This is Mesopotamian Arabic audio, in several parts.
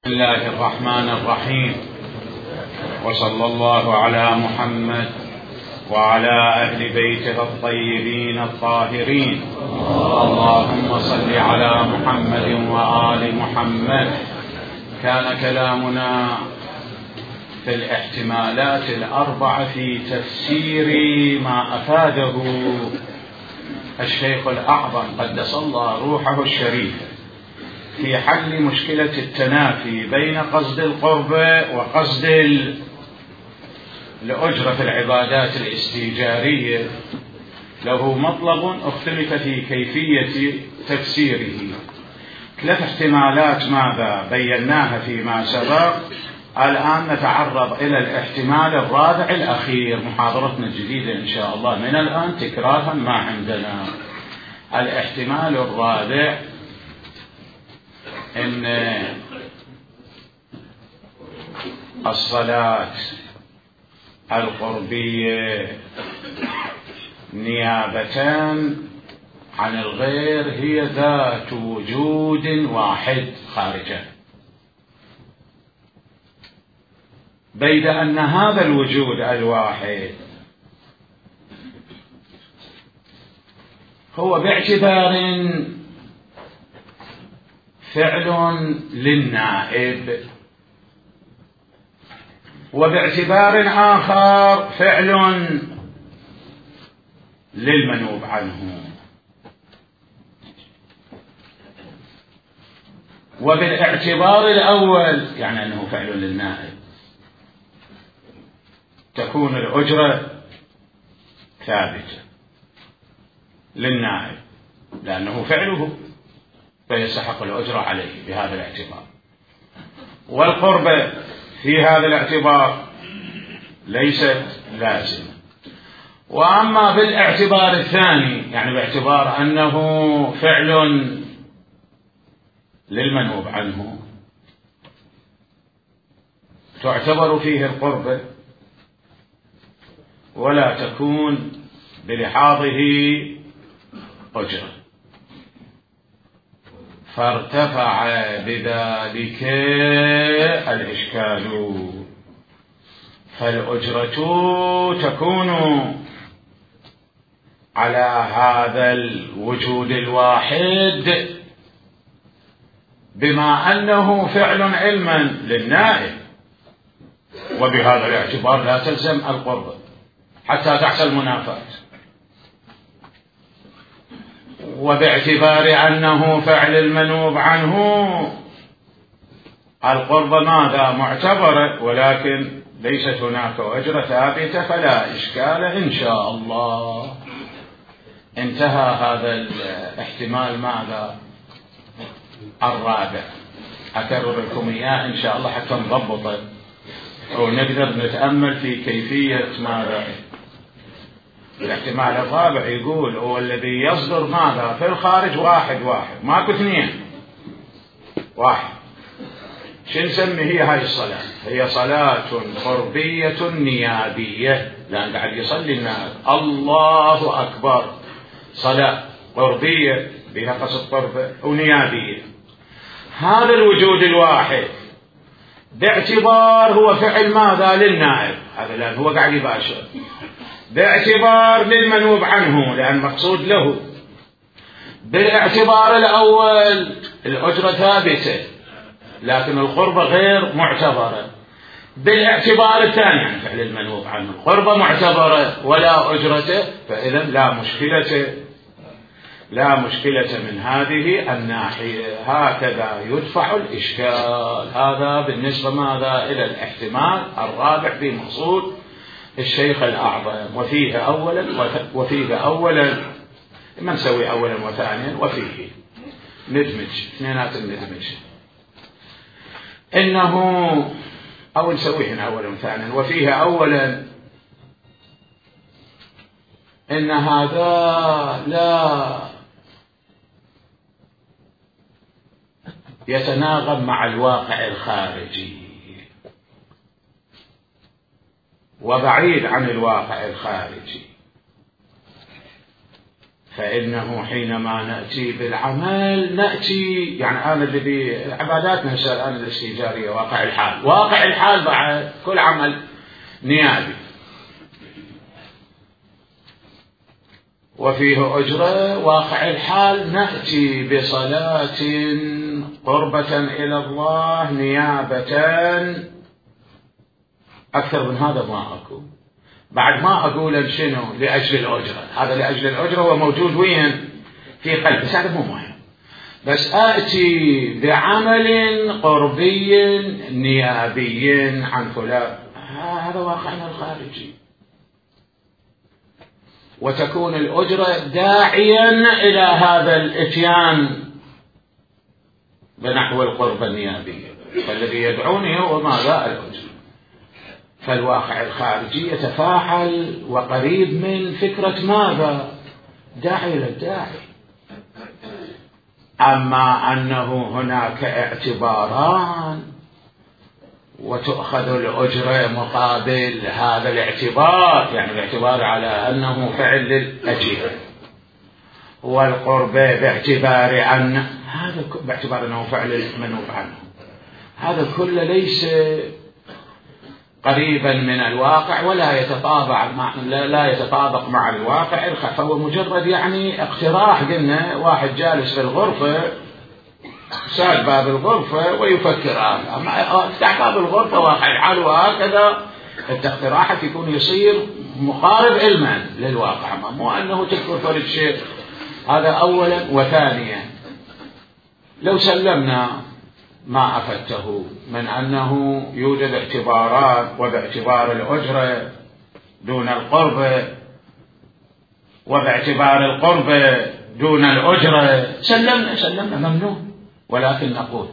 بسم الله الرحمن الرحيم، وصلى الله على محمد وعلى أهل بيته الطيبين الطاهرين. اللهم صل على محمد وآل محمد. كان كلامنا في الاحتمالات الأربعة في تفسير ما أفاده الشيخ الأعظم قدس الله روحه الشريف في حل مشكلة التنافي بين قصد القربة وقصد الأجرة في العبادات الاستيجارية. له مطلب اختلف في كيفية تفسيره. 3 احتمالات ماذا بيناها فيما سبق. الآن نتعرض إلى الاحتمال الرابع الأخير. محاضرتنا الجديدة إن شاء الله من الآن تكرارا ما عندنا. الاحتمال الرابع إن الصلاة القربية نيابة عن الغير هي ذات وجود واحد خارجه، بيد أن هذا الوجود الواحد هو باعتبار فعل للنائب، وباعتبار آخر فعل للمنوب عنه. وبالاعتبار الأول يعني أنه فعل للنائب تكون الأجرة ثابتة للنائب لأنه فعله فيستحق الأجرة عليه بهذا الاعتبار. والقربة في هذا الاعتبار ليست لازمة. وأما بالاعتبار الثاني يعني باعتبار أنه فعل للمنوب عنه تعتبر فيه القربة ولا تكون بلحاظه أجرة، فارتفع بذلك الإشكال. فالأجرة تكون على هذا الوجود الواحد بما أنه فعل علما للنائب، وبهذا الاعتبار لا تلزم القربة حتى تحصل منافاة. وباعتبار أنه فعل المنوب عنه القربة ماذا معتبرة، ولكن ليست هناك أجرة ثابتة فلا إشكال إن شاء الله. انتهى هذا الاحتمال ماذا الرابع. أكرر لكم إياه إن شاء الله حتى نضبطه ونقدر نتأمل في كيفية ماذا. الاحتمال الرابع يقول هو الذي يصدر ماذا في الخارج واحد ماكو 2 واحد. شو نسمي هي هاي الصلاة؟ هي صلاة قربية نيابية، لأن قاعد يصلي الناس الله أكبر. صلاة قربية بها قصد قربة ونيابية. هذا الوجود الواحد باعتبار هو فعل ماذا للنائب، هذا لأن هو قاعد يباشر، باعتبار للمنوب عنه لأن مقصود له. بالاعتبار الأول الأجرة ثابتة لكن القربة غير معتبرة. بالاعتبار الثاني يعني فعل المنوب عنه القربة معتبرة ولا أجرته، فإذا لا مشكلة من هذه الناحية. هكذا يدفع الإشكال. هذا بالنسبة ماذا إلى الاحتمال الرابع في مقصود الشيخ الأعظم. وفيه أولا ما نسوي أولا وثانيا، وفيه ندمج اثنينات الندمج إنه أو نسويه هنا أولا وثانيا. وفيه أولا إن هذا لا يتناغم مع الواقع الخارجي وبعيد عن الواقع الخارجي. فإنه حينما نأتي بالعمل نأتي يعني أنا الذي عباداتنا الآن الاستئجارية واقع الحال، واقع الحال بعد كل عمل نيابي وفيه أجرة. واقع الحال نأتي بصلاة قربة إلى الله نيابة، أكثر من هذا ما أكو. بعد ما أقول شنو لأجل الأجرة، هذا لأجل الأجرة وموجود وين في قلبي، هذا مو مهم، بس آتي بعمل قربي نيابي عن فلان، هذا واقعنا الخارجي، وتكون الأجرة داعيا إلى هذا الإتيان بنحو القربة النيابية، فالذي يدعوني هو ماذا؟ الأجرة. فالواقع الخارجي يتفاعل وقريب من فكرة ماذا؟ داعي للداعي. أما أنه هناك اعتباران وتؤخذ الأجرة مقابل هذا الاعتبار، يعني الاعتبار على أنه فعل للأجير، والقربة باعتبار أن هذا باعتبار أنه فعل المنوب عنه، هذا كله ليس قريبا من الواقع ولا يتطابق مع الواقع، فهو مجرد يعني اقتراح. قلنا واحد جالس في الغرفة ساد باب الغرفة ويفكر افتح باب الغرفة واقع الحال وهكذا، اقتراحك يكون يصير مقارب علما للواقع، مو أنه تذكر فرد شيء. هذا أولا. وثانيا لو سلمنا ما أفدته من أنه يوجد اعتبارات وباعتبار الأجرة دون القربة وباعتبار القربة دون الأجرة، سلمنا ممنوع. ولكن نقول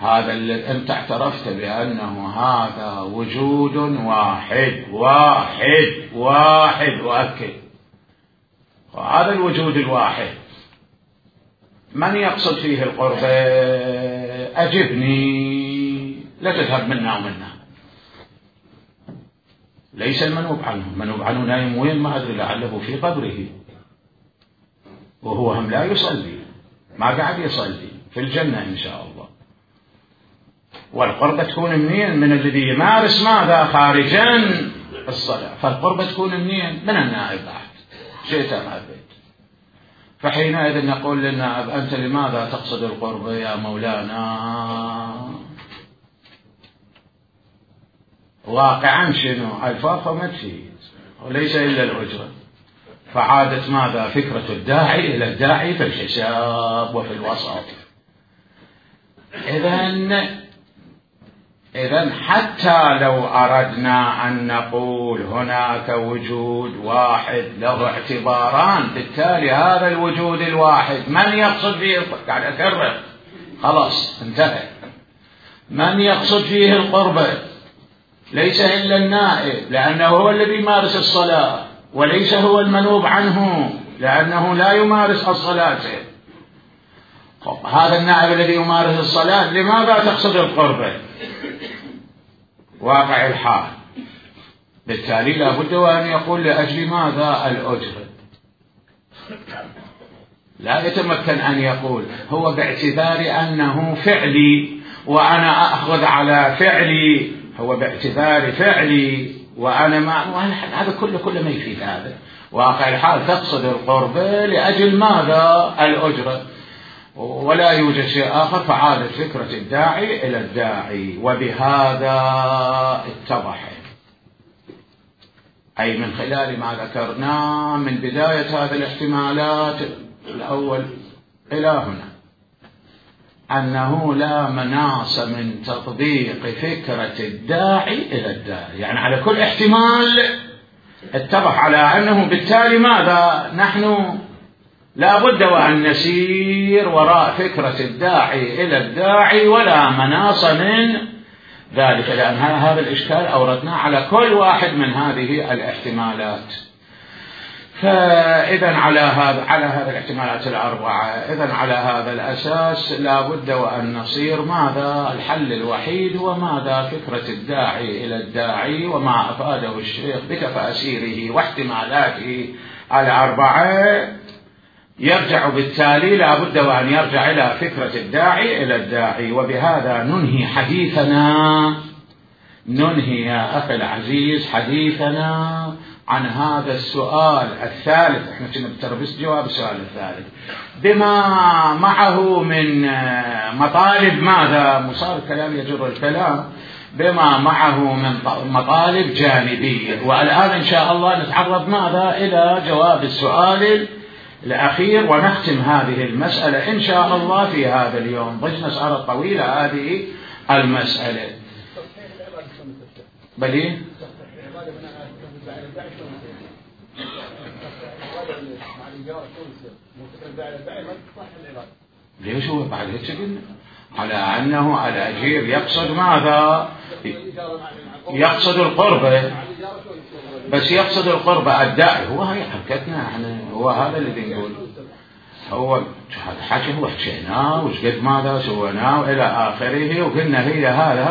هذا اللي أنت اعترفت بأنه هذا وجود واحد واحد واحد وأكد، وهذا الوجود الواحد من يقصد فيه القربة؟ أجبني، لا تذهب منا ومنا. ليس المنوب عنه، المنوب عنه نايم وين ما أدري، لعله في قبره وهو هم لا يصلي، ما قاعد يصلي في الجنة إن شاء الله. والقربة تكون منين؟ من الذي يمارس ماذا؟ خارجا الصلاة. فالقربة تكون منين؟ من النائب بعد شئت أم أبيت. فحينئذ نقول للنائب أنت لماذا تقصد القربة يا مولانا؟ واقعا شنو؟ الفاظ ما تفيد وليس إلا الأجرة. فعادت ماذا؟ فكرة الداعي إلى الداعي في الحساب وفي الوسط. إذن حتى لو أردنا أن نقول هناك وجود واحد له اعتباران، بالتالي هذا الوجود الواحد من يقصد فيه؟ قاعد أكرر خلاص انتهى. من يقصد فيه القربة؟ ليس إلا النائب لأنه هو الذي يمارس الصلاة، وليس هو المنوب عنه لأنه لا يمارس الصلاة. هذا النائب الذي يمارس الصلاة لماذا تقصد القربة؟ واقع الحال. بالتالي لابد وأن يقول لأجل ماذا؟ الأجرة. لا يتمكن أن يقول هو باعتبار أنه فعلي وأنا أخذ على فعلي، هو باعتبار فعلي وأنا ما، هذا كله ما يفيد. هذا واقع الحال تقصد القربة لأجل ماذا؟ الأجرة، ولا يوجد شيء آخر. فعادت فكرة الداعي إلى الداعي، وبهذا اتضح، أي من خلال ما ذكرناه من بداية هذه الاحتمالات الأول إلى هنا، أنه لا مناص من تطبيق فكرة الداعي إلى الداعي. يعني على كل احتمال اتضح على أنه بالتالي ماذا؟ نحن لا بد وأن نسير وراء فكرة الداعي إلى الداعي، ولا مناص من ذلك، لأن هذا الإشكال أوردناه على كل واحد من هذه الاحتمالات. فإذا على هذا الاحتمالات الأربعة، إذا على هذا الأساس لا بد وأن نصير ماذا؟ الحل الوحيد هو ماذا؟ فكرة الداعي إلى الداعي وما أفاده الشيخ بتفاسيره واحتمالاته الأربعة، يرجع بالتالي لا بد وأن يرجع إلى فكرة الداعي إلى الداعي. وبهذا ننهي حديثنا، ننهي يا أخي العزيز حديثنا عن هذا السؤال الثالث. احنا كنا بتربس جواب السؤال الثالث بما معه من مطالب ماذا؟ مصار الكلام يجر الكلام، بما معه من مطالب جانبية. والآن إن شاء الله نتعرض ماذا؟ إلى جواب السؤال الأخير ونختم هذه المسألة إن شاء الله في هذا اليوم. ضجنا صارت طويلة هذه المسألة. بلي ليش هو بعد هيك قلنا على أنه الأجير يقصد ماذا؟ يقصد القربة، بس يقصد القربة الداعي. هو هي حركتنا احنا، هو هذا اللي بنقول، هو حكي هو حكيناه وش قد ماذا سويناه إلى آخره، وقلنا هي هذا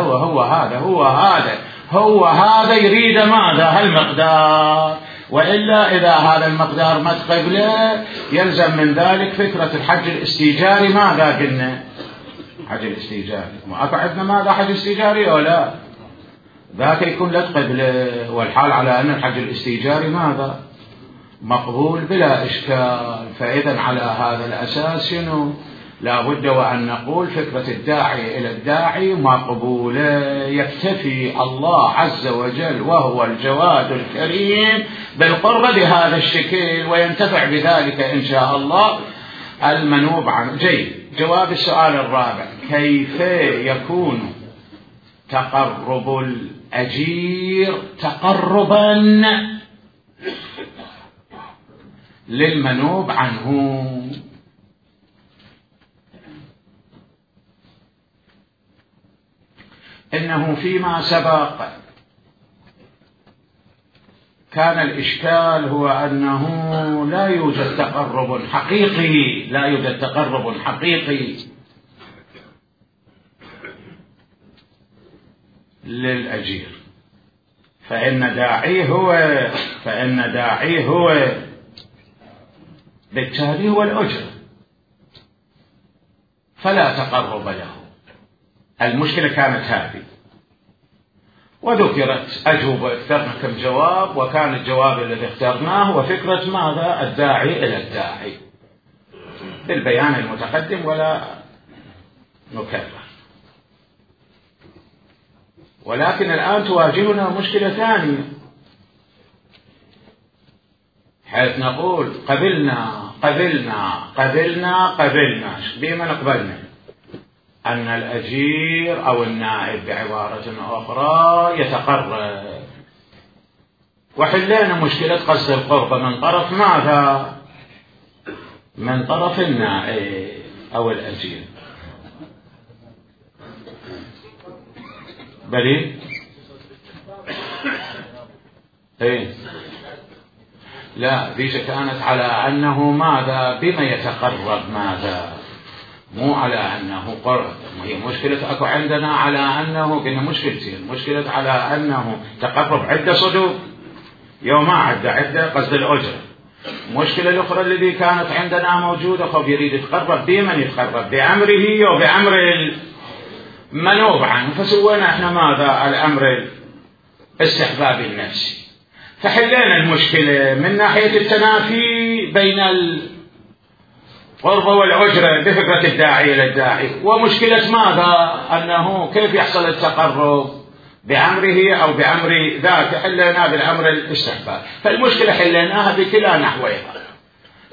هو هذا يريد ماذا؟ هالمقدار. وإلا إذا هذا المقدار ما تقبله يلزم من ذلك فكرة الحج الاستيجاري. ماذا قلنا؟ حج الاستيجاري ما أكو عندنا ماذا؟ حج استيجاري أو لا؟ ذاك يكون لا تقبله، والحال على أن الحج الاستيجاري ماذا؟ مقبول بلا إشكال. فإذا على هذا الأساس شنو؟ لا بد وأن نقول فكرة الداعي إلى الداعي مقبولة. يكتفي الله عز وجل وهو الجواد الكريم بالقرب بهذا الشكل، وينتفع بذلك إن شاء الله المنوب عنه. جيد. جواب السؤال الرابع: كيف يكون تقرب الأجير تقربا للمنوب عنه؟ إنه فيما سبق كان الإشكال هو أنه لا يوجد تقرب حقيقي، لا يوجد تقرب حقيقي للأجير، فإن داعيه هو بالتالي هو الأجر، فلا تقرب له. المشكلة كانت هذه، وذكرت أجوبة، اخترنا كم جواب، وكان الجواب الذي اخترناه هو فكرة ماذا؟ الداعي إلى الداعي بالبيان المتقدم ولا نكرر. ولكن الآن تواجهنا مشكلة ثانية، حيث نقول قبلنا بما نقبلنا أن الأجير أو النائب بعبارة أخرى يتقرب، وحلينا مشكلة قصد القرب من طرف ماذا؟ من طرف النائب أو الأجير. بلي إيه؟ لا، ذيك كانت على أنه ماذا؟ بما يتقرب ماذا؟ مو على أنه قرب. هي مشكلة أكو عندنا على أنه كنا مشكلتين، مشكلة على أنه تقرب عدة صدور يوم ما عدة قصد الأجر. مشكلة الأخرى التي كانت عندنا موجودة خب يريد يتقرب بمن يتقرب؟ بأمره وبأمر المنوب عنه، فسوينا احنا ماذا؟ الأمر الاستحبابي النفسي. فحلينا المشكلة من ناحية التنافي بين القرب والأجرة بفكرة الداعي إلى الداعي، ومشكلة ماذا؟ أنه كيف يحصل التقرب بأمره أو بأمر ذاك، حلينا بالأمر الاستحباب. فالمشكلة حليناها بكلا نحوها،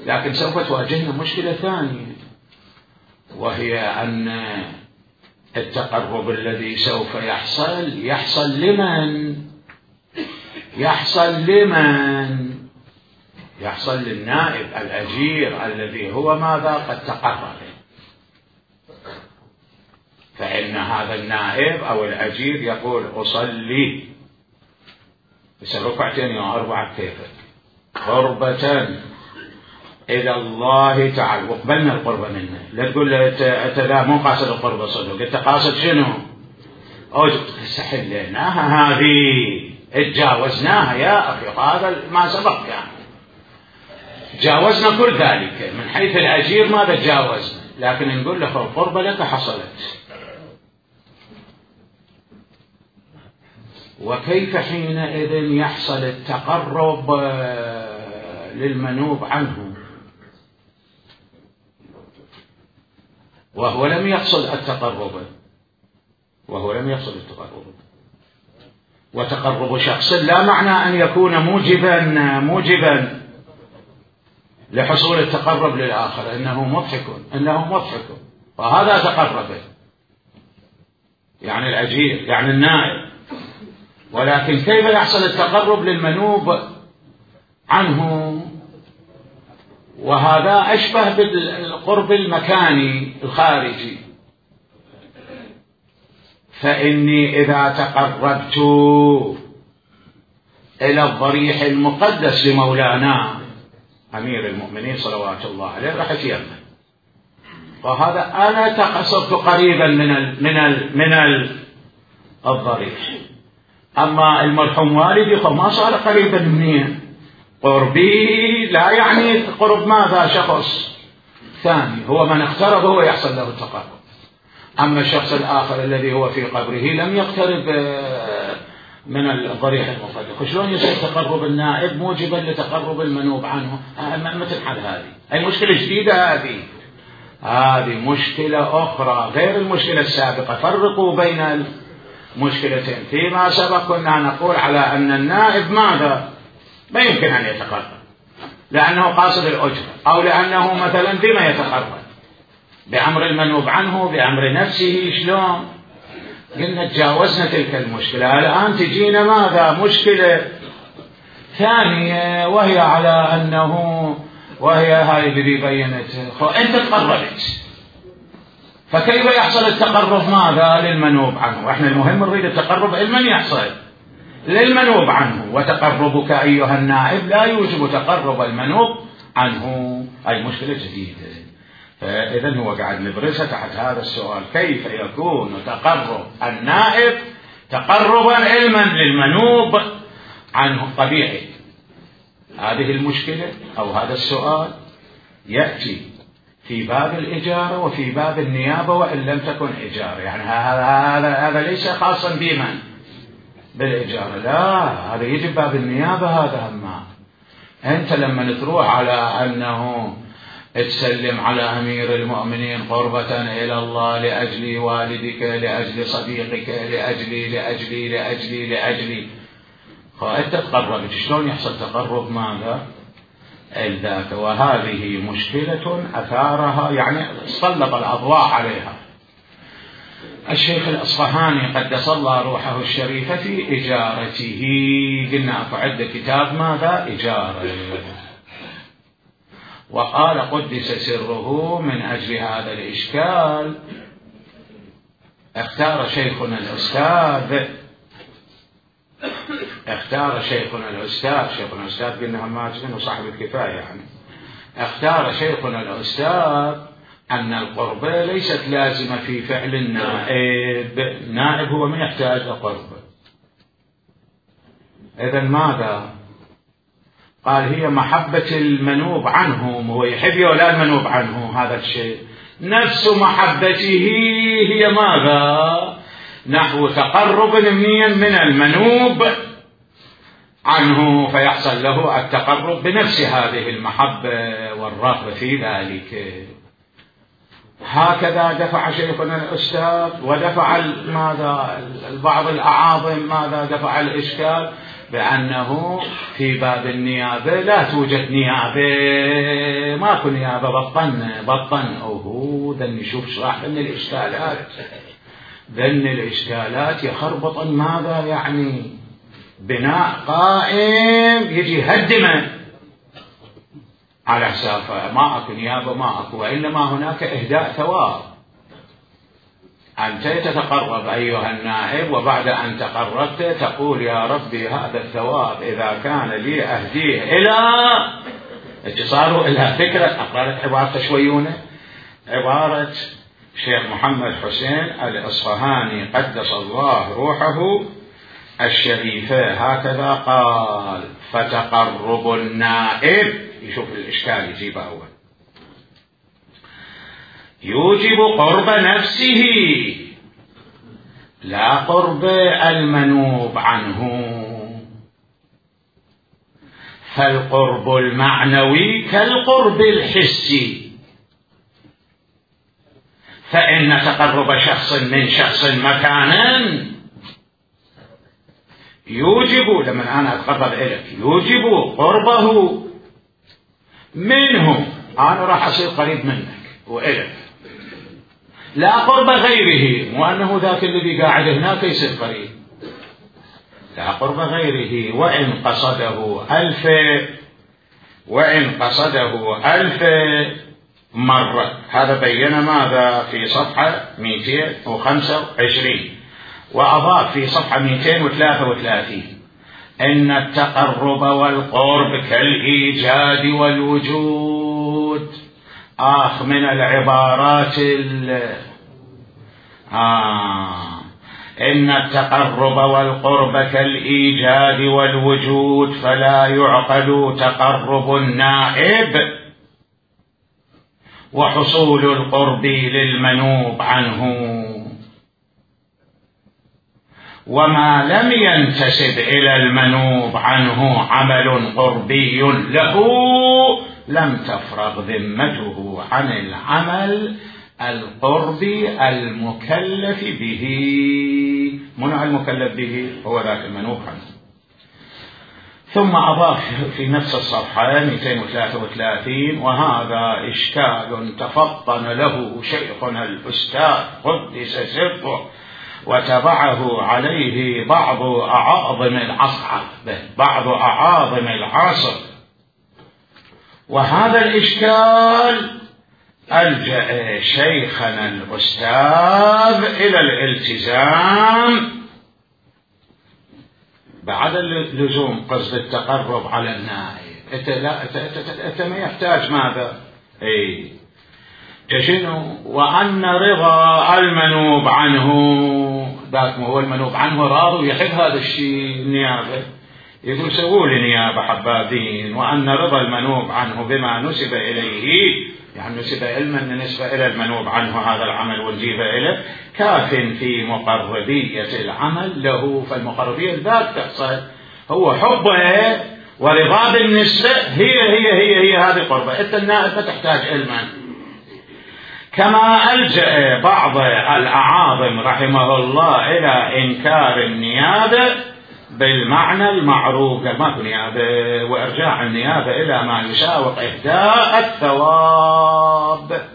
لكن سوف تواجهنا مشكلة ثانية، وهي أن التقرب الذي سوف يحصل لمن؟ يحصل للنائب الأجير الذي هو ماذا؟ قد تقرب. فإن هذا النائب أو الأجير يقول أصلي بس ركعتين يا 4 كيفك، قربة إلى الله تعالى وقبلنا القربة منه. لا تقول له أنت لا مو قاصد القربة صدق، أنت قاصد شنو؟ تستحل لناها هذه، اتجاوزناها يا أخي، هذا ما سبق يعني تجاوزنا كل ذلك من حيث الأجير ماذا تجاوزنا، لكن نقول له القربة لك حصلت. وكيف حينئذ يحصل التقرب للمنوب عنه وهو لم يحصل التقرب، وتقرب شخص لا معنى أن يكون موجبا لحصول التقرب للآخر، إنه مضحك وهذا تقرب يعني الأجير يعني النائب. ولكن كيف يحصل التقرب للمنوب عنه؟ وهذا أشبه بالقرب المكاني الخارجي. فإني إذا تقربت إلى الضريح المقدس لمولانا أمير المؤمنين صلوات الله عليه راح يتيمم، وهذا أنا صرت قريبا من الضريح. أما المرحوم والدي فما صار قريبا مني، قربي لا يعني قرب ماذا شخص ثاني، هو من اقترب هو يحصل له التقرب. أما الشخص الآخر الذي هو في قبره لم يقترب من الضريح المقدس، شلون يصير تقرب النائب موجبا لتقرب المنوب عنه؟ ما تنحل هذه، أي مشكلة جديدة هذه مشكلة أخرى غير المشكلة السابقة. فرقوا بين المشكلتين. فيما سبق كنا نقول على أن النائب ماذا ما يمكن أن يتقرب لأنه قاصد الأجرة، أو لأنه مثلا بما يتقرب بأمر المنوب عنه بأمر نفسه. شلون؟ قلنا تجاوزنا تلك المشكلة. الآن تجينا ماذا مشكلة ثانية، وهي على أنه وهي هاي اللي بينت أنت تقربت، فكيف يحصل التقرب ماذا للمنوب عنه؟ احنا المهم نريد التقرب لمن يحصل للمنوب عنه، وتقربك أيها النائب لا يوجب تقرب المنوب عنه. أي مشكلة جديدة. فإذن هو قاعد نبرزها تحت هذا السؤال، كيف يكون تقرب النائب تقربا علما للمنوب عنه طبيعي. هذه المشكلة أو هذا السؤال يأتي في باب الإجارة وفي باب النيابة وإن لم تكن إجارة، يعني هذا ليس خاصا بمن بالإجارة، لا هذا يجي باب النيابة. هذا هما أنت لما تروح على أنه تسلم على أمير المؤمنين قربة إلى الله لأجل والدك لأجل صديقك لأجلي فأنت تقربت، شلون يحصل تقرب ماذا الذات؟ وهذه مشكلة أثارها يعني سلط الأضواء عليها الشيخ الأصفهاني قدس الله روحه الشريفة في إجارته. قلنا فعد كتاب ماذا إجارة، وقال قدس سره من أجل هذا الإشكال اختار شيخنا الأستاذ قلنا الماجد وصاحب الكفاية يعني اختار شيخنا الأستاذ أن القربة ليست لازمة في فعل النائب هو من يحتاج القربة. إذن ماذا قال؟ هي محبة المنوب عنهم، هو يحب ولا المنوب عنه، هذا الشيء نفس محبته هي ماذا نحو تقرب من المنوب عنه، فيحصل له التقرب بنفس هذه المحبة والرغبة في ذلك. هكذا دفع شيخنا الأستاذ ودفع ماذا بعض الأعاظم ماذا دفع الإشكال بأنه في باب النيابة لا توجد نيابة، ماكو نيابة، بطن أوه ذن نشوف شرح ذن الإشكالات يخربط ماذا يعني بناء قائم يجي هدمه على حسابه، ما أكو نيابة ما أكو، وإنما هناك إهداء ثواب. أنت تتقرب أيها النائب، وبعد أن تقربت تقول يا ربي هذا الثواب إذا كان لي أهديه إلى اتصاله إلى فكرة. أقرأ لك عبارة شويونة، عبارة الشيخ محمد حسين الإصفهاني قدس الله روحه الشريفة، هكذا قال: فتقرب النائب، يشوف الإشكال يجيبه أول، يوجب قرب نفسه لا قرب المنوب عنه، فالقرب المعنوي كالقرب الحسي، فإن تقرب شخص من شخص مكانا يوجب، لما أنا أتقرب إليك يوجب قربه منه، أنا راح أصير قريب منك وإليك، لا قرب غيره، وأنه ذاك الذي قاعد هناك يصير قريب، لا قرب غيره، وإن قصده ألف مرة. هذا بين ماذا في صفحة 225، وأضاف في صفحة 233: إن التقرب والقرب كالإيجاد والوجود. من العبارات إن التقرب والقرب كالإيجاد والوجود، فلا يعقل تقرب النائب وحصول القرب للمنوب عنه، وما لم ينتسب إلى المنوب عنه عمل قربي له لم تفرغ ذمته عن العمل القربي المكلف به. منع المكلف به هو ذاك المنوب عنه. ثم أضاف في نفس الصفحة 233: وهذا إشكال تفطن له شيخنا الأستاذ قدس سره، وتبعه عليه بعض أعاظم العصر، وهذا الإشكال ألجأ شيخنا الأستاذ إلى الالتزام بعد اللزوم، قصد التقرب على النائب. أنت ما يحتاج ماذا؟ تشنو؟ وأن رضا المنوب عنه، ذاك هو المنوب عنه راضي ويحب هذا الشيء، النيابة يقول سووا لي نيابة حبابين، وأن رضا المنوب عنه بما نسب إليه، يعني نسب علما نسبة إلى المنوب عنه هذا العمل ونجيبه إليه، كاف في مقربية العمل له. فالمقربية الذات تحصل، هو حبه ورضا بالنسبة هي هذه قربة. أنت النائب ما تحتاج علما. كما ألجأ بعض الأعاظم رحمه الله إلى إنكار النيابة بالمعنى المعروف، قال ماكو نيابة، وإرجاع النيابة إلى ما يساوق إهداء الثواب.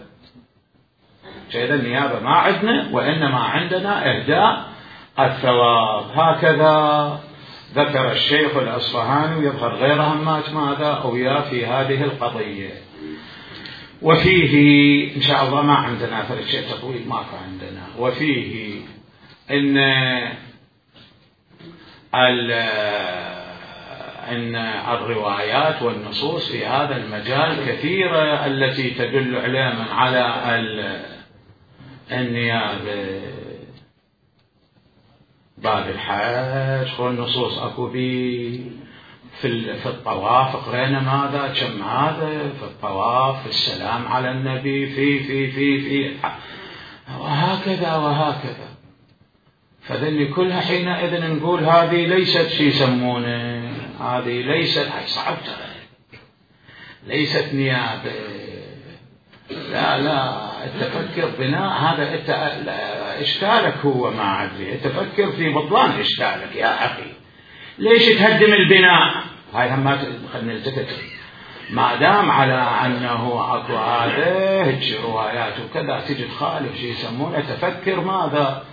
شيء النيابة ما عندنا، وإنما عندنا إهداء الثواب. هكذا ذكر الشيخ الأصفهاني، ويظهر غير همات ماذا أويا في هذه القضية. وفيه إن شاء الله ما عندنا فرق شيء تطويل، ماكو عندنا. وفيه إن الروايات والنصوص في هذا المجال كثيرة التي تدل على النيابة. باب الحج والنصوص أكو في الطواف قرينا ماذا كم هذا في الطواف، في السلام على النبي، في وهكذا. فذل كلها حينئذ نقول هذه ليست شيء يسمونه، هذه ليست صعبت، ليست نيابة. لا تفكر بناء هذا إشكالك هو ما أدري، تفكر في بطلان إشكالك يا أخي. ليش تهدم البناء؟ هاي هم خلنا نلتفت. ما دام على أنه أكو هذا روايات وكذا تجي تخالف شيء يسمونه، تفكر ماذا؟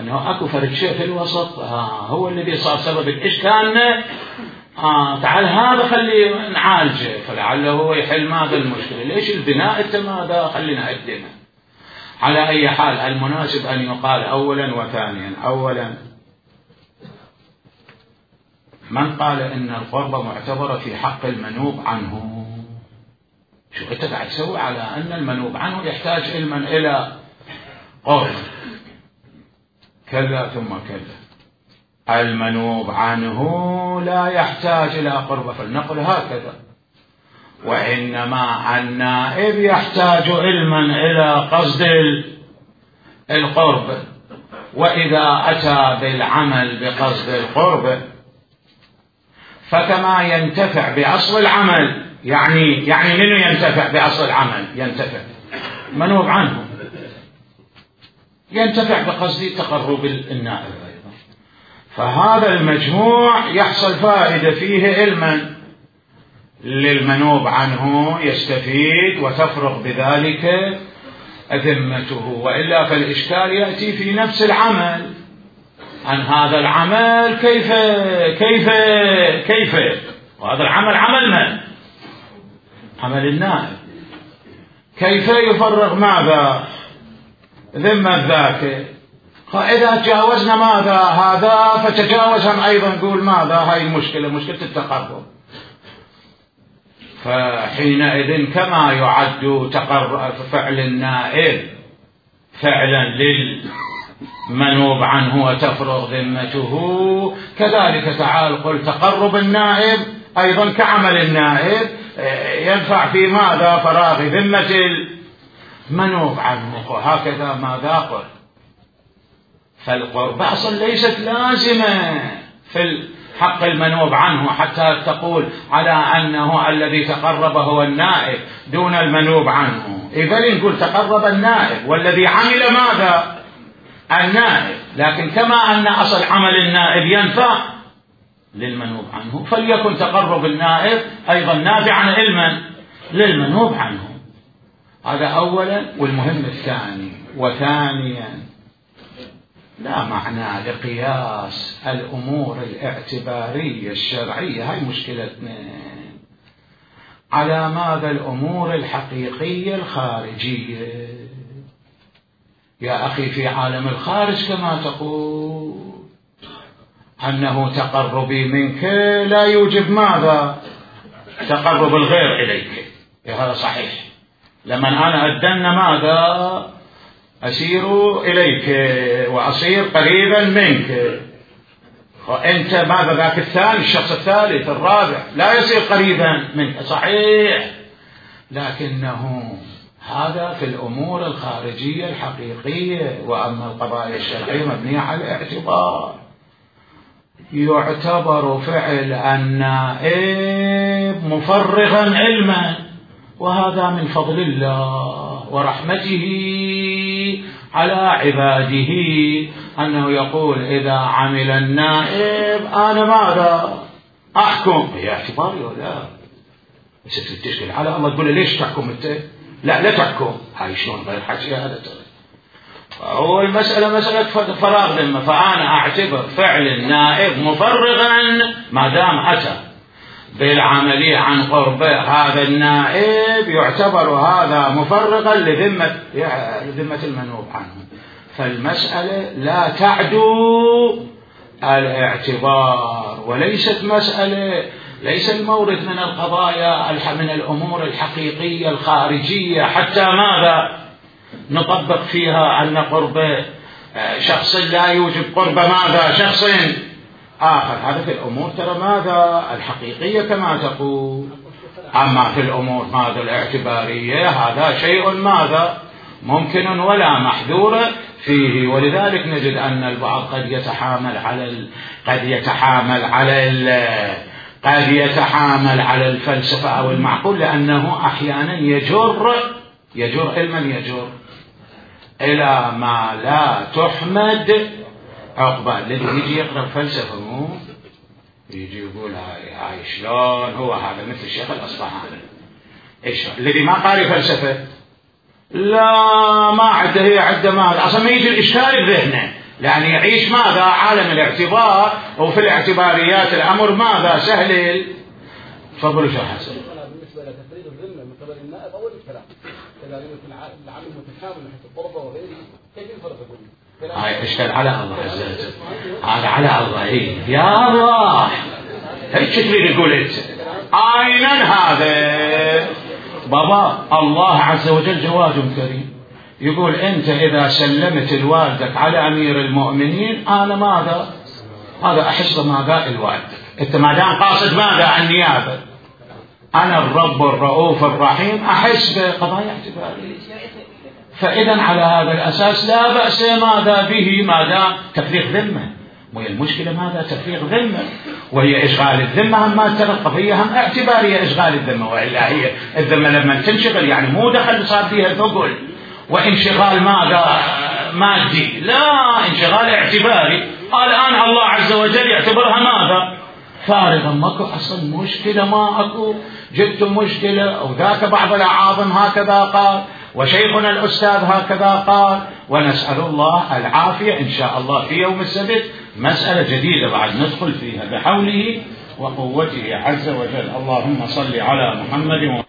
أنه أكو فرق شيء في الوسط، هو الذي صار سبب الإشكال. تعال هذا خلي نعالجه، فلعله هو يحل ماذا المشكلة. ليش البناء أنت ماذا خلينا نقدمه؟ على أي حال المناسب أن يقال أولا وثانيا. أولا من قال إن القربة معتبرة في حق المنوب عنه؟ شو أنت قاعد تسوي على أن المنوب عنه يحتاج علما إلى قرب؟ كذا ثم كذا، المنوب عنه لا يحتاج إلى قربة، فلنقل هكذا. وإنما النائب يحتاج علما إلى قصد القرب، وإذا أتى بالعمل بقصد القرب فكما ينتفع بأصل العمل، يعني منو ينتفع بأصل العمل؟ ينتفع منوب عنه، ينتفع بقصد تقرب النائب أيضا. فهذا المجموع يحصل فائدة فيه علما للمنوب عنه، يستفيد وتفرغ بذلك ذمته. وإلا فالإشكال يأتي في نفس العمل، عن هذا العمل كيف وهذا العمل عمل من؟ عمل النائب. كيف يفرغ ماذا؟ ذمة ذاك. فإذا تجاوزنا ماذا هذا فتجاوزهم أيضا نقول ماذا؟ هاي المشكلة، مشكلة التقرب. فحينئذ كما يعد فعل النائب فعلا للمنوب عنه وتفرغ ذمته، كذلك تعال قل تقرب النائب أيضا كعمل النائب ينفع في ماذا؟ فراغ ذمة المنوب عنه. وهكذا ماذا قل؟ فالقربة أصلا ليست لازمة في حق المنوب عنه حتى تقول على أنه الذي تقرب هو النائب دون المنوب عنه. إذا نقول تقرب النائب والذي عمل ماذا؟ النائب. لكن كما أن أصل عمل النائب ينفع للمنوب عنه، فليكن تقرب النائب أيضا نافعا علما للمنوب عنه. هذا أولا. والمهم الثاني، وثانيا لا معنى لقياس الأمور الاعتبارية الشرعية، هاي مشكلتنا، على ماذا؟ الأمور الحقيقية الخارجية. يا أخي في عالم الخارج كما تقول أنه تقربي منك لا يوجب ماذا؟ تقرب الغير إليك. هذا صحيح. لما أنا أدن ماذا؟ أسير إليك وأصير قريبا منك، وأنت ماذا؟ ذاك الثاني، الشخص الثالث الرابع لا يصير قريبا منك، صحيح، لكنه هذا في الأمور الخارجية الحقيقية. وأما القضايا الشرعية مبنية على الاعتبار. يعتبر فعل النائب مفرغا علما، وهذا من فضل الله ورحمته على عباده، أنه يقول إذا عمل النائب أنا ماذا؟ أحكم. هي اعتباري ولا بس تشكل على الله تقول ليش تحكم أنت؟ لا تحكم. هاي شلون غير حكي هذا؟ هو المسألة مسألة فراغ ذمة، فأنا أعتبر فعل النائب مفرغا ما دام أتى بالعملية عن قربه هذا النائب، يعتبر هذا مفرغا لذمة المنوب عنه. فالمسألة لا تعدو الاعتبار، وليست مسألة، ليس المورد من القضايا من الأمور الحقيقية الخارجية حتى ماذا؟ نطبق فيها أن قرب شخص لا يوجب قرب ماذا؟ شخص آخر. هذا في الأمور ترى ماذا؟ الحقيقية كما تقول. أما في الأمور ماذا؟ الاعتبارية، هذا شيء ماذا؟ ممكن ولا محذور فيه. ولذلك نجد أن البعض قد يتحامل على الفلسفة أو المعقول، لأنه أحيانا يجر علما يجر إلى ما لا تحمد عقبة. الذي يجي يقرأ الفلسفة مو يجي يقول هاي شلون هو هذا مثل الشيخ الأصبهاني. إيش الذي ما قارئ فلسفة لا ما عنده، هي عنده ما أصلا ما يجي الإشكال بذهنه، يعني يعيش ماذا؟ عالم الاعتبار، وفي الاعتباريات الأمر ماذا؟ سهل. تفضلوا شيخ حسن. بالنسبة لتفريد الذمة من قبل النائب أول الكلام إذا العمل متكامل من حيث الطلبة وغيره كيف ينفرق يقول؟ هاي اشكال على الله عز وجل. هذا على الله. يا الله هيك تريد يقول انت عينا هذا بابا. الله عز وجل جواد كريم يقول انت اذا سلمت الوالدك على امير المؤمنين انا ماذا هذا احس ما قال والدك انت ما دام قاصد ماذا عن النيابه انا الرب الرؤوف الرحيم احس بقضايا اعتباريه. فاذا على هذا الاساس لا باس ماذا به ما دام تفريغ ذمه. وهي المشكله ماذا تفريغ ذمه وهي اشغال الذمه هم ما ترى القضيه هم اعتباريه اشغال الذمه. والا هي الذمه لما تنشغل يعني مو دخل صار فيها ثقل وانشغال ماذا مادي لا انشغال اعتباري. الان الله عز وجل يعتبرها ماذا فارغا ماكو اصلا مشكله ما اكو جبت مشكله او ذاك بعض الاعاظم هكذا قال وشيخنا الأستاذ هكذا قال ونسأل الله العافية إن شاء الله في يوم السبت مسألة جديدة بعد ندخل فيها بحوله وقوته عز وجل. اللهم صل على محمد